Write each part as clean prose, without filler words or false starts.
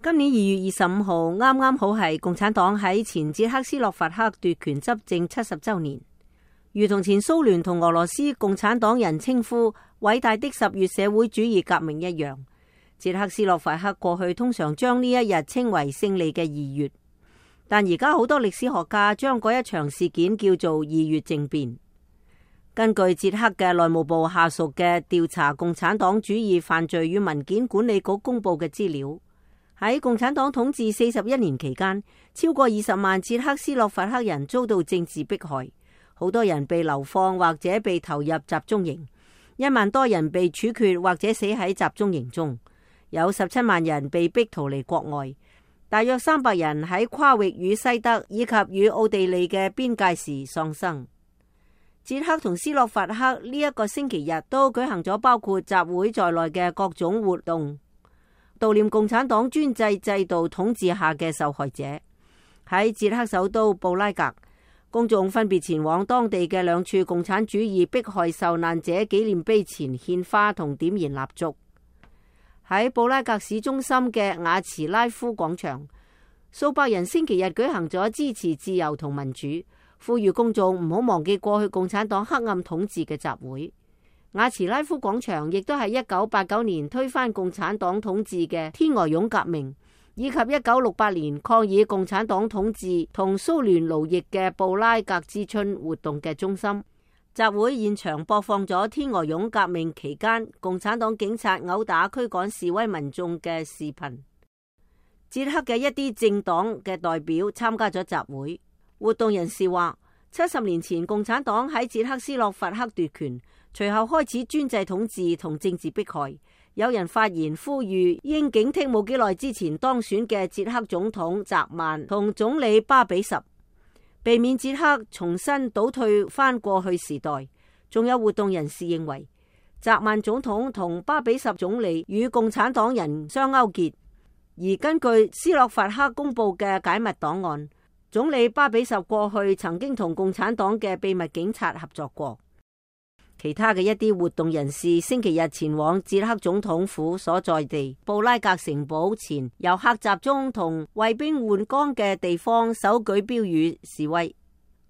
今年2月25號啱啱好係共產黨喺前捷克斯洛伐克奪權執政70週年，如同前蘇聯同俄羅斯共產黨人稱呼偉大的10月社會主義革命一樣，捷克斯洛伐克過去通常將呢一日稱為勝利嘅2月，但而家好多歷史學家將嗰一場事件叫做2月政變。根據捷克嘅內務部下屬嘅調查共產黨主義犯罪與文件管理局公布嘅資料，喺共產黨統治41年期間，超過20萬捷克斯洛伐克人遭到政治迫害，好多人被流放或者被投入集中營，1萬多人被處決或者死喺集中營中，有17萬人被逼逃離國外，大約300人喺跨域與西德以及與奧地利嘅邊界時喪生。捷克同斯洛伐克呢一個星期日都舉行咗包括集會在內嘅各種活動，悼念共產黨專制制度統治下嘅受害者。喺捷克首都布拉格，公眾分別前往當地嘅2處共產主義迫害受難者紀念碑前獻花同點燃蠟燭。喺布拉格市中心嘅雅茨拉夫廣場，數百人星期日舉行咗支持自由同民主，呼籲公眾唔好忘記過去共產黨黑暗統治嘅集會。雅茨拉夫廣場亦都係1989年推翻共產黨統治嘅天鵝絨革命，以及1968年抗議共產黨統治同蘇聯奴役嘅布拉格之春活動嘅中心。集會現場播放咗天鵝絨革命期間共產黨警察毆打驅趕示威民眾嘅視頻。捷克嘅一啲政黨嘅代表參加咗集會。活動人士話，70年前共產黨喺捷克斯洛伐克奪權，隨後開始專制統治同政治迫害。有人發言呼籲應警惕冇幾耐之前當選嘅捷克總統澤曼同總理巴比什，避免捷克重新倒退翻過去時代。仲有活動人士認為，澤曼總統同巴比什總理與共產黨人相勾結，而根據斯洛伐克公布嘅解密檔案，總理巴比什過去曾經同共產黨嘅秘密警察合作過。其他嘅一啲活動人士星期日前往捷克總統府所在地布拉格城堡前遊客集中同衛兵換崗嘅地方手舉標語示威。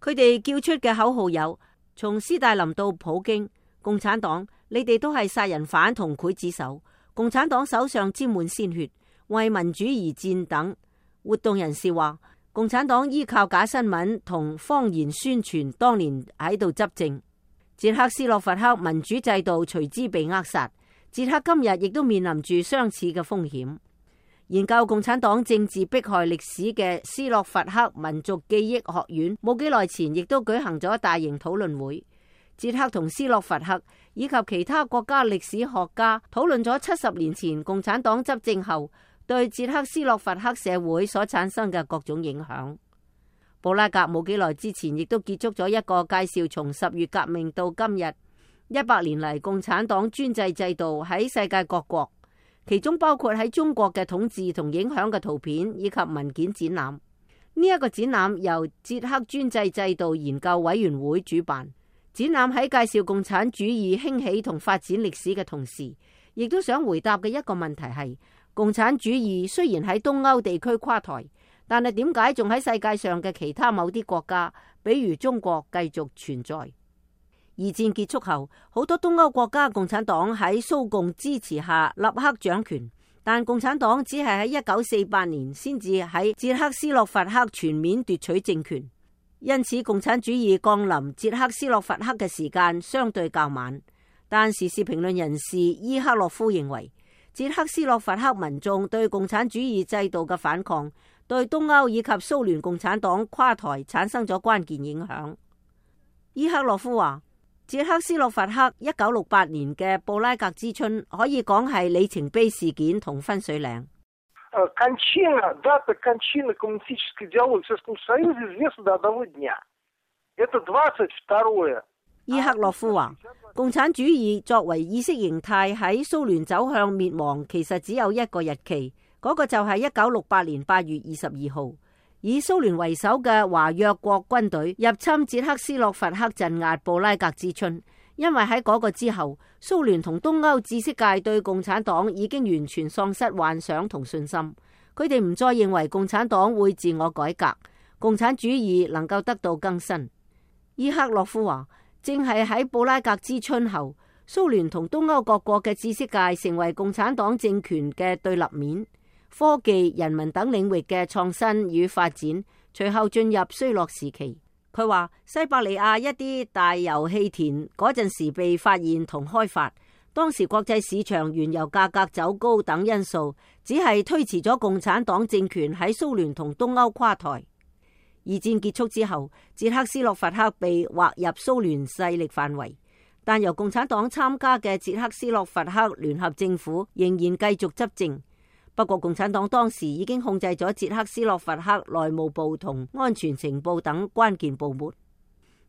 佢哋叫出嘅口號有：從斯大林到普京，共產黨，你哋都係殺人犯同劊子手，共產黨手上沾滿鮮血，為民主而戰等。活動人士話，共產黨依靠假新聞同謊言宣傳，當年喺度執政。捷克斯洛伐克民主制度隨之被扼殺。捷克今日亦都面臨住相似嘅風險。研究共產黨政治迫害歷史嘅斯洛伐克民族記憶學院冇幾耐前亦都舉行咗大型討論會。捷克同斯洛伐克以及其他國家歷史學家討論咗70年前共產黨執政後對捷克斯洛伐克社會所產生嘅各種影響。布拉格冇幾耐之前亦都結束咗一個介紹從10月革命到今日100年嚟共產黨專制制度喺世界各國，其中包括喺中國嘅統治同影響嘅圖片以及文件展覽。呢一個展覽由捷克專制制度研究委員會主辦。展覽喺介紹共產主義興起同發展歷史嘅同時，亦都想回答嘅一個問題係：共產主義雖然喺東歐地區垮台，但係點解仲喺世界上嘅其他某啲國家，比如中國繼續存在？二戰結束後，好多東歐國家共產黨喺蘇共支持下立刻掌權，但共產黨只係喺1948年先至喺捷克斯洛伐克全面奪取政權，因此共產主義降臨捷克斯洛伐克嘅時間相對較晚。但時事評論人士伊克洛夫認為，捷克斯洛伐克民眾對共產主義制度嘅反抗，對東歐以及蘇聯共產黨垮台產生咗關鍵影響。伊克洛夫話，捷克斯洛伐克1968年嘅布拉格之春可以講係里程碑事件同分水嶺。Дата кончины коммунистической идеологии в Советском Союзе известна до одного дня. Это 22. 伊克洛夫話，共產主義作為意識形態喺蘇聯走向滅亡，其實只有一個日期，嗰個就係1968年8月22號，以蘇聯為首嘅華約國軍隊入侵捷克斯洛伐克，鎮壓布拉格之春。因為喺嗰個之後，蘇聯同東歐知識界對共產黨已經完全喪失幻想同信心。佢哋唔再認為共產黨會自我改革，共產主義能夠得到更新。伊克洛夫話，正係喺布拉格之春後，蘇聯同東歐各國嘅知識界成為共產黨政權嘅對立面，科技、人民等領域嘅創新與發展隨後進入衰落時期。佢話西伯利亞一啲大油氣田嗰陣時被發現同開發，當時國際市場原油價格走高等因素，只係推遲咗共產黨政權喺蘇聯同東歐垮台。二戰結束之後，捷克斯洛伐克被劃入蘇聯勢力範圍，但由共產黨參加嘅捷克斯洛伐克聯合政府仍然繼續執政。不過共產黨當時已經控制咗捷克斯洛伐克內務部同安全情報等關鍵部門。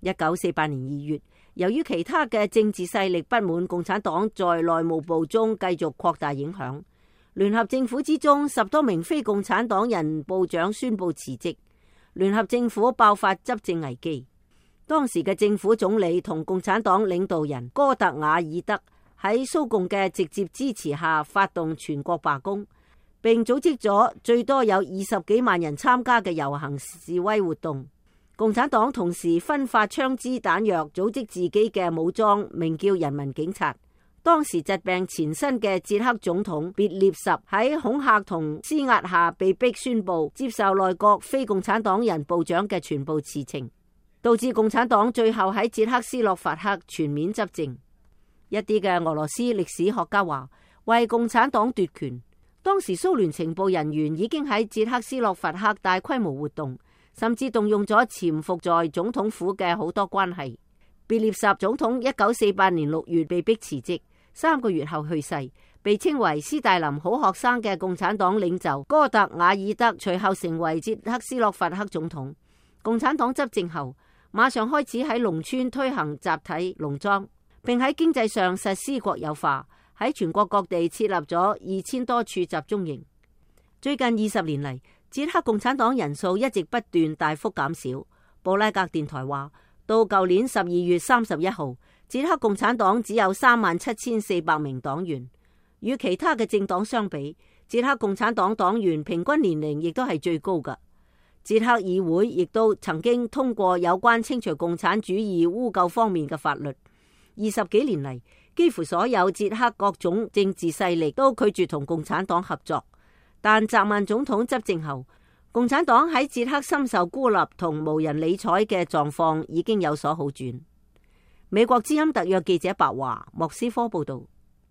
1948年2月，由於其他嘅政治勢力不滿共產黨在內務部中繼續擴大影響，聯合政府之中10多名非共產黨人部長宣布辭職，聯合政府爆發執政危機。當時嘅政府總理同共產黨領導人戈特瓦爾德喺蘇共嘅直接支持下發動全國罷工，並組織咗最多有20幾萬人參加嘅遊行示威活動。共產黨同時分發槍支彈藥，組織自己嘅武裝，名叫人民警察。當時疾病纏身嘅捷克總統別列什喺恐嚇同施壓下被迫宣布接受內閣非共產黨人部長嘅全部辭呈，導致共產黨最後喺捷克斯洛伐克全面執政。一啲嘅俄羅斯歷史學家話，為共產黨奪權，當時蘇聯情報人員已經喺捷克斯洛伐克大規模活動，甚至動用咗潛伏在總統府嘅好多關係。別列什總統1948年6月被迫辭職，3個月後去世，被稱為斯大林好學生嘅共產黨領袖戈特瓦爾德隨後成為捷克斯洛伐克總統。共產黨執政後，馬上開始喺農村推行集體農莊，並喺經濟上實施國有化，喺全國各地設立咗2000多處集中營。最近20年嚟，捷克共產黨人數一直不斷大幅減少。布拉格電台話，到舊年12月31號，捷克共產黨只有37400名黨員。與其他嘅政黨相比，捷克共產黨黨員平均年齡亦都係最高㗎。捷克議會亦都曾經通過有關清除共產主義污垢方面嘅法律。20幾年嚟，幾乎所有捷克各種政治勢力都拒絕同共產黨合作。但澤曼總統執政後，共產黨喺捷克深受孤立同無人理睬嘅狀況已經有所好轉。美國之音特約記者白華，莫斯科報道。